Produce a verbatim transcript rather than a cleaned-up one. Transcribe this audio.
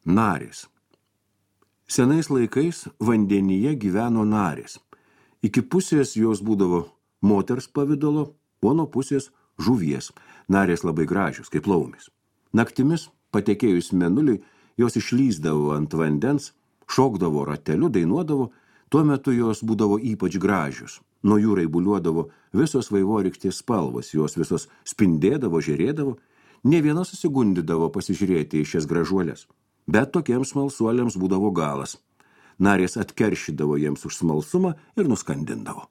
Narės. Senais laikais vandenyje gyveno narės. Iki pusės jos būdavo moters pavidalo, o nuo pusės žuvies. Narės labai gražios, kaip laumis. Naktimis, patekėjus mėnuliui, jos išlysdavo ant vandens, šokdavo rateliu, dainuodavo, tuo metu jos būdavo ypač gražios. Nuo jų raibuliuodavo visos vaivorykštės spalvos, jos visos spindėdavo, žėrėdavo, ne viena susigundydavo pasižiūrėti į šias gražuolės. Bet tokiems smalsuoliams būdavo galas. Narės atkeršydavo jiems už smalsumą ir nuskandindavo.